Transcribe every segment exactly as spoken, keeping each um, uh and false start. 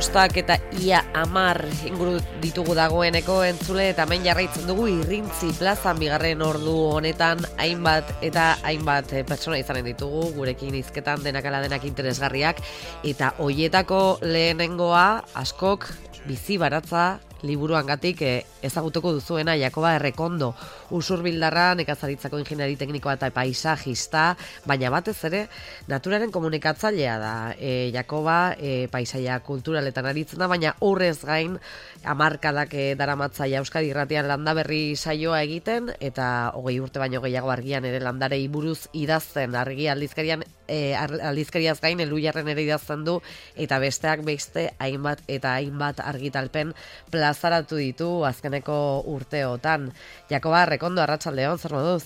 bostak eta ia amar inguru ditugu dagoeneko entzule, eta hemen jarraitzen dugu Irrintzi plazan bigarren ordu honetan hainbat eta hainbat pertsona izanen ditugu, gurekin hizketan denak ala denak interesgarriak, eta hoietako lehenengoa askok bizi baratza liburuangatik eh, ezagutuko duzuena Jakoba Errekondo, usurbildarra, nekazaritzako ingeniari teknikoa eta paisajista, baina batez ere naturaren komunikatzailea da. E, Jakoba e, paisaia kulturaletan aritzen da, baina horrez gain hamarkadak e, daramatzaia Euskadi Irratian landaberri saioa egiten, eta hogei urte baino gehiago argian ere landarei buruz idazten, argi aldizkarian e, aldizkariaz gain Elhuyarren ere idazten du, eta besteak beste hainbat eta hainbat argitalpen plazaratu ditu azkeneko urteotan. Jakoba Errekondo, arratsaldeon, zer moduz?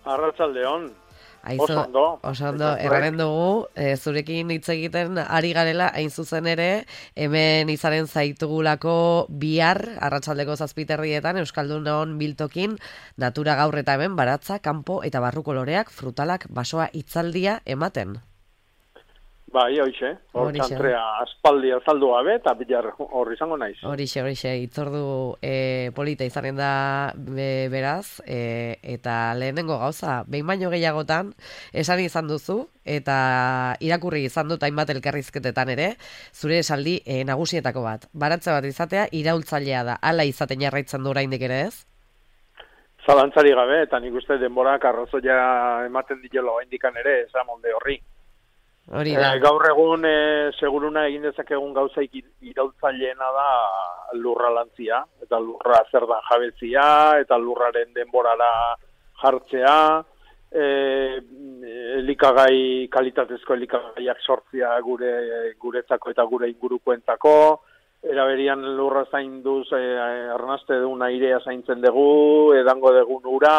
Arratsaldeon. Aizu, oso ondo. Oso ondo, erraren dugu, e, zurekin hitz egiten ari garela, hain zuzen ere, hemen izanen zaitugulako bihar, arratsaldeko zazpiterrietan, Euskaldunon biltokin, natura gaur eta hemen, baratza, kanpo eta barruko loreak, frutalak, basoa hitzaldia ematen. Bai, hoixe, hor txantrea aspaldi azaldu gabe, eta bilar hor izango naiz. Horixe, horixe, itzordu e, polita izanen da be, beraz, e, eta lehenengo gauza, behin baino gehiagotan, esan izan duzu, eta irakurri izan dut hainbat elkarrizketetan ere, zure esaldi e, nagusietako bat. Baratze bat izatea, iraultzailea da, hala izaten jarraitzen du oraindik ere ez? Zalantzari gabe, eta nik uste denborak arrazoia ematen diola oraindikan ere, esan molde horri. Hori da. E, gaur egun e, seguruna egin dezakegun gauzaik iraultzaileena da lurra lantzia, eta lurra zerdan jabetzia, eta lurraren denborara jartzea, e, elikagai, kalitatezko elikagaiak sortzia gure guretzako eta gure ingurukoentzako, eraberian lurra zainduz, e, arnaste dugun airea zaintzen dugu, edango dugun ura,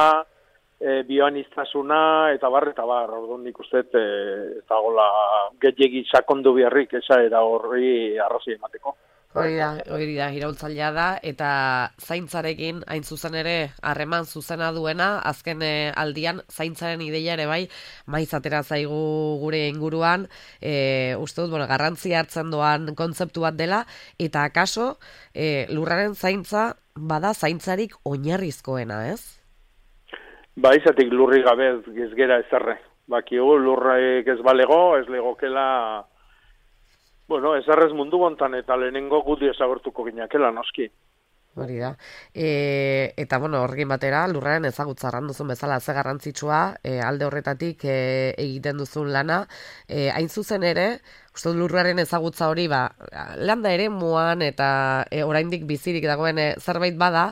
E, bioaniztasuna eta bar eta bar, orduan nik uste e, eta gola gehiegi sakondu biharrik esa era horri arrazoi emateko. Hori da, hori da, iraultzailea da, eta zaintzarekin hain zuzen ere harreman zuzena duena, azken e, aldian zaintzaren ideia ere bai, maiz atera zaigu gure inguruan, e, uste dut, bueno, garrantzia hartzen doan kontzeptu bat dela, eta akaso e, lurraren zaintza bada zaintzarik oinarrizkoena, ez? Ba, izatik lurri gabe ez gera ezerre. Bakigu, lurraik ez balego, ez legokela, bueno, ezerrez mundu gontan eta lehenengo guti ezagortuko ginakela, noski. Hori da. E, eta, bueno, horrekin batera, lurraren ezagutza arran duzun bezala ze garrantzitsua, e, alde horretatik e, egiten duzun lana, e, hain zuzen ere, uste lurraren ezagutza hori, ba, landa eremuan eta e, oraindik bizirik dagoen e, zerbait bada,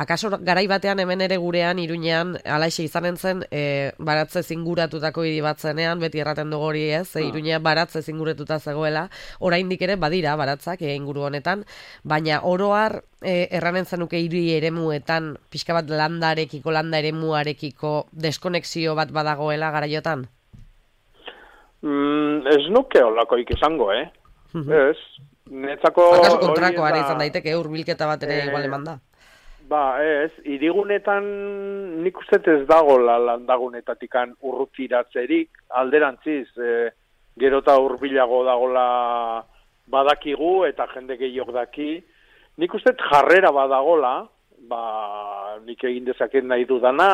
akaso garai batean hemen ere gurean, Iruñean, alaixe izanen zen, e, baratze zinguratutako hiri bat zenean, beti erraten dugu hori ez, e, Iruñea baratze zinguratuta zegoela, oraindik ere badira baratzak e, inguru honetan, baina oroar e, erranen zenuke hiri eremuetan, pixka bat landarekiko, landa eremuarekiko deskonexio bat badagoela garaiotan? Mm, ez nuke holakoik izango, eh? Ez, netzako... Akaso kontrakoa ere izan daiteke, hurbilketa bat ere igual eman da. Ba, ez, hirigunetan nik uste ez dago landagunetatikan urrutiratzerik, alderantziz, e, gero eta hurbilago dagola badakigu eta jende gehiok daki, nik uste jarrera badagola, ba, nik egin dezaket nahi dudana,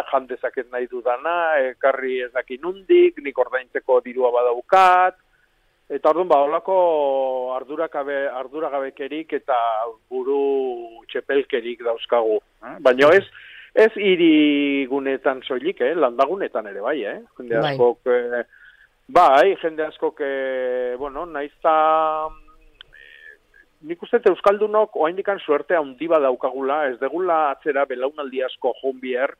jan dezaket nahi dudana, ekarri ez daki nundik, nik ordaintzeko dirua badaukat, eta orduan ba, holako arduragabe, arduragabekerik eta buru txepelkerik dauzkagu. Eh? Baina ez, ez hirigunetan soilik, eh? Landagunetan ere bai, eh? Jende askok, eh, bai, jende askok, eh, bueno, naizta... Nik uste euskaldunok oraindikan suerte handi badaukagula, ez degula atzera belaunaldi asko joan bihar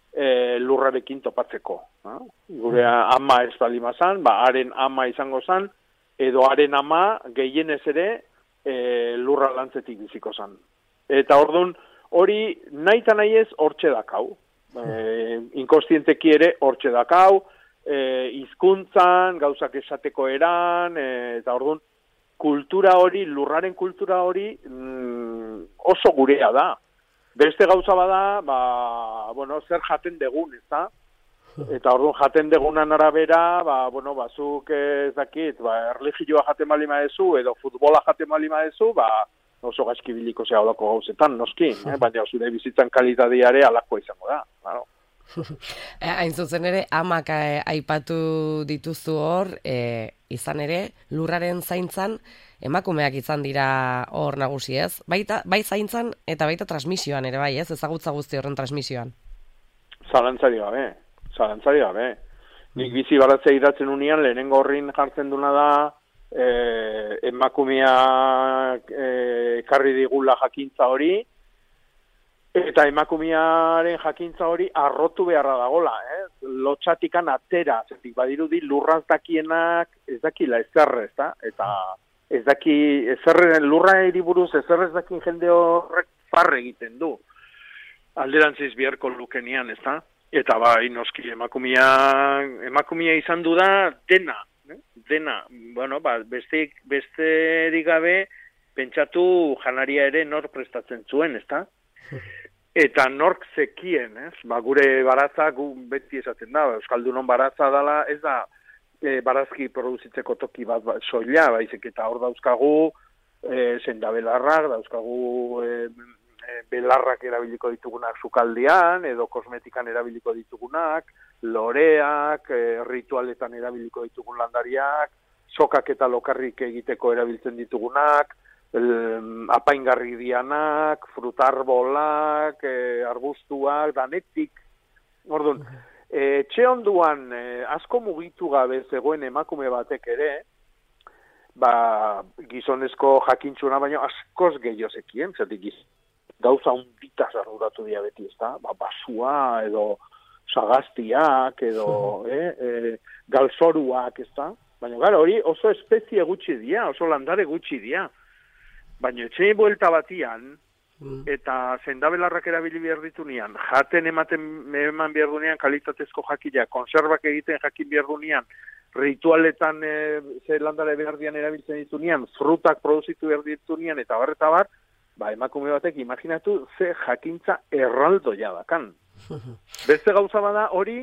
e, lurrarekin topatzeko. Ha? Gure ama ez balimazan, ba, haren ama izango zan, edo haren ama gehienez ere e, lurra lantzetik biziko zan. Eta orduan hori nahi eta nahi ez hortxe dakau. E, inkostienteki ere hortxe dakau, e, hizkuntzan, gauzak esateko eran, e, eta orduan kultura hori, lurraren kultura hori mm, oso gurea da. Beste gauza bada, ba, bueno, zer jaten degun, ez da? Eta orduan jaten degunan arabera, ba, bueno, bazuk ez dakit, ba, erligioa jaten bali maezu, edo futbola jaten bali maezu, ba, oso gaizki biliko zea olako gauzetan, noski, eh? Baina zure bizitzan kalitateare alakoa izango da, claro. Hain zuzen ere, amak aipatu dituzu hor, e, izan ere, lurraren zaintzan, emakumeak izan dira hor nagusi ez, baita, bai zaintzan eta baita transmisioan ere bai ez, ezagutza guzti horren transmisioan. Zalantzari gabe. Zalantzari gabe. Nik bizi baratzea idatzen unian, lehenengo horrin jartzen duna da, eh, emakumeak ekarri eh, digula jakintza hori, eta emakumearen jakintza hori arrotu beharra dagola, eh? Lotxatikan atera, zetik badirudi lurraz dakienak ez dakila ezerre, ez da? Eta ez daki, ezerre, lurra eriburuz ezerre ez dakin jende horrek parre egiten du. Alderantziz biharko lukenian, ez da? Eta bai, noski, emakumia, emakumia izan du da dena, eh? dena. Bueno, ba, besteik, besterik gabe pentsatu janaria ere nor prestatzen zuen, ezta? Eta nork zekien, ez? Ba, gure baratza, gu beti esaten da, Euskaldunon baratza dela, ez da e, barazki produzitzeko toki bat ba, soila, baizik eta hor dauzkagu e, sendabelarrak, dauzkagu e, belarrak erabiliko ditugunak sukaldean, edo kosmetikan erabiliko ditugunak, loreak, e, ritualetan erabiliko ditugun landariak, sokak eta lokarrik egiteko erabiltzen ditugunak, el, apaingarri dianak, frutarbolak, e, arbustuak, danetik. Orduan, e, etxe onduan e, asko mugitu gabe zegoen emakume batek ere, ba, gizonezko jakintxuna baino askoz gehiago zekien, zatik giz. Gauza hunditaz arduratu dira beti, ez da? Ba, basua, edo sagaztiak, edo eh, eh, galzoruak, ez da? Baina, gara, hori oso espezie gutxi dira, oso landare gutxi dira. Baina, etxe buelta batian, eta zendabelarrak erabili behar ditunean, jaten ematen eman behar dunean, kalitatezko jakila, konserbak egiten jakin behar dunean, ritualetan e, ze landare behar dian erabiltzen ditunean, frutak produzitu behar ditunean, eta bar, eta bar, ba, emakume batek, imaginatu, ze jakintza erraldoia dakan. Beste gauza bada hori,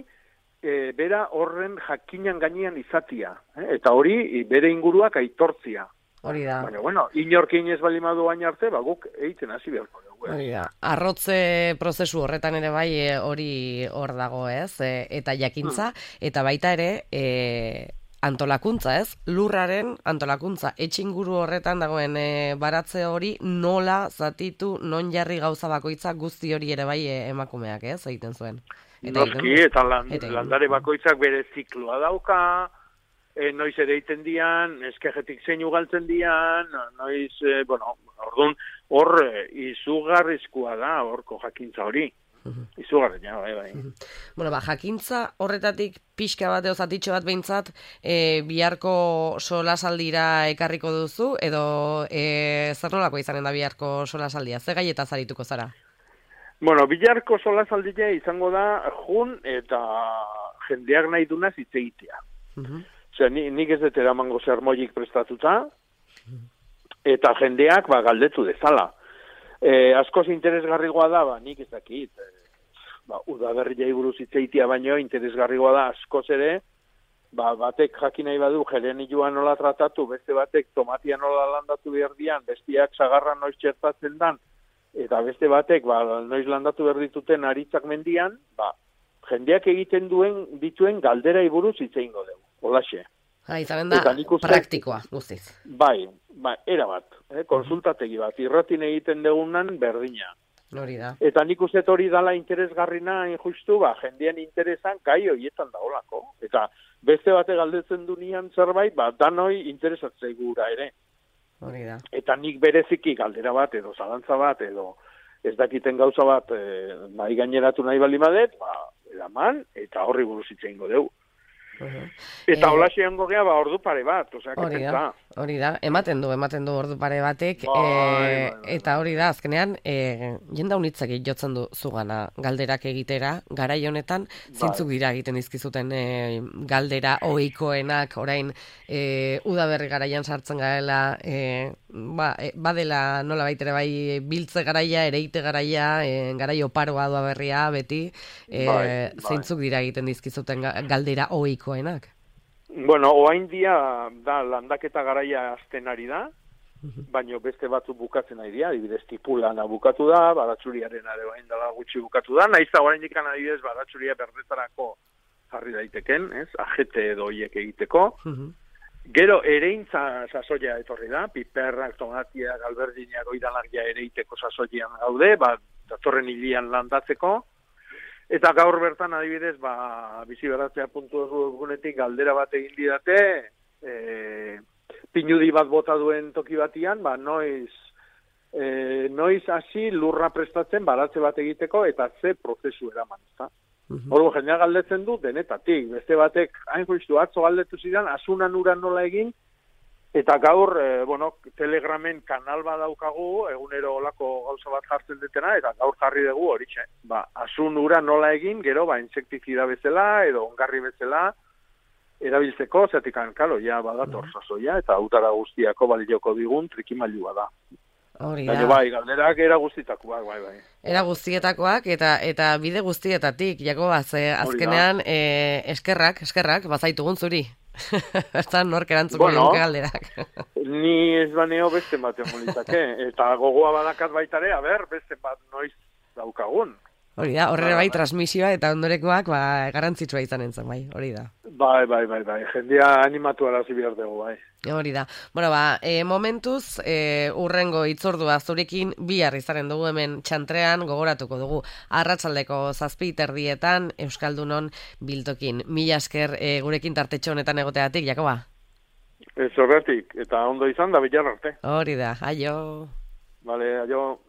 e, bera horren jakinan gainean izatia. Eh? Eta hori, bere inguruak aitortzia. Hori da. Baina, bueno, inorkin ez balimadu baina arte, ba, guk egiten hasi beharko dugu. Hori da. Arrotze prozesu horretan ere bai e, hori hor dago, ez? E, eta jakintza, hmm. eta baita ere, e, antolakuntza, ez? Lurraren antolakuntza. Etxinguru horretan dagoen e, baratze hori nola zatitu, non jarri gauza bakoitza guzti hori ere bai e, emakumeak, ez? Egiten zuen. Eta Noski, eta, land, eta landare bakoitzak bere zikloa dauka, e, noiz ere egiten dian, eskejetik zein ugaltzen dian, noiz, e, bueno, orduan, hor e, izugarrizkoa da, horko jakintza hori. Izugarren, ja, bai, bai. Bueno, ba, jakintza horretatik pixka bat edo zatitxo bat behintzat e, biharko solasaldira ekarriko duzu, edo e, zer nolako izanen da biharko solasaldia? Ze gaietaz arituko zara? Bueno, biharko solasaldia izango da jun eta jendeak nahi duna zitzegitea. Uh-huh. Osea, ni, nik ez dut eramango zermoilik prestatuta, eta jendeak ba, galdetu dezala. Eh, askoz interesgarrigoa da, ba, nik ez dakit, eh, ba, udaberria buruz hitzeitia baino interesgarrigoa da askoz ere, ba, batek jakin nahi badu gerenilua nola tratatu, beste batek tomatia nola landatu behar dian, bestiak sagarra noiz txertatzen dan, eta beste batek ba, noiz landatu behar dituten aritzak mendian, ba, jendeak egiten duen dituen galdera buruz hitzeingo dugu, holaxe. Ha, izanen da, uste, praktikoa, guztiz. Bai, bai, era bat, eh, konsultategi bat, irratin egiten degunan berdina. Hori da. Eta nik uste hori dala interesgarrina injustu, ba, jendean interesan gai horietan daolako. Eta beste bate galdetzen dunian zerbait, ba, danoi interesatzei gura ere. Hori da. Eta nik bereziki galdera bat, edo zalantza bat, edo ez dakiten gauza bat, e, nahi gaineratu nahi balimadet, ba, eraman, eta horri buruz hitz egingo dugu. Eta Eh, hola xeango gea, ba, ordu pare bat, osea, que Hori da, pentsa. hori da, ematen du, ematen du ordu pare batek, Bai, bai, e, bai, eta hori da, azkenean, e, jenda unitzak jotzen du zugana galderak egitera, garai honetan, bai. zeintzuk dira egiten dizkizuten e, galdera ohikoenak, orain, e, udaberri garaian sartzen garela, e, ba, e, badela nola baitere bai biltze garaia, ereite garaia, e, garai oparoa udaberria beti, e, Bai, bai. zeintzuk dira egiten dizkizuten ga- galdera ohikoenak. Bueno, oain dia da landaketa garaia azten ari da, baino beste batzuk bukatzen ari dira, adibidez tipulana bukatu da, badatzuriaren ere orain dela gutxi bukatu da, naiz da oraindik adibidez badatzuria berdetarako jarri daiteken, ez? Ajete edo hiek egiteko. Gero ereintza sasoia etorri da, piperrak, tomatiak, alberdinak, oidanak ja ereiteko sasoian gaude, ba, datorren hilian landatzeko. Eta gaur bertan adibidez, ba, biziberatzea puntu egunetik galdera bat egin didate, e, pinudi bat bota duen toki batian, ba, noiz, e, noiz hasi lurra prestatzen baratze bat egiteko eta ze prozesu eraman, ezta? Hor, jendea galdetzen du denetatik, beste batek, hain justu, atzo galdetu zidan, asunan uran nola egin, eta gaur, e, bueno, Telegramen kanal bat daukagu, egunero olako gauza bat jartzen detena, eta gaur jarri dugu horitxe. Ba, asun ura nola egin, gero, ba, insektizida bezala, edo ongarri bezala, erabiltzeko, zetik kalo, ja, badator sasoia, eta utara guztiako balioko digun trikimailua da. Hori da. Baina bai, galderak era guztitakoak, bai, bai. Era guztietakoak eta eta bide guztietatik, Jakoba, ze azkenean e, eskerrak, eskerrak, bazaitugun zuri. Bertan nork erantzuko Bueno, liguke galderak. Ni ez baneo beste batean molitake, eta gogoa badakat baitare, a ber, beste bat noiz daukagun. Hori da, horre bai transmisioa eta ondorekoak ba, garrantzitsua izanen zen, bai, hori da. Bai, bai, bai, bai, jendia animatu arazi behar dugu, bai. Hori da. Bueno, ba, e, momentuz, e, urrengo itzordua zurekin bihar izaren dugu hemen txantrean gogoratuko dugu. Arratsaldeko zazpi terdietan Euskaldunon biltokin. Mila esker e, gurekin tartetxo honetan egoteatik, Jakoba? Ez horretik, eta ondo izan da bilar arte. Hori da, aio. Vale, aio.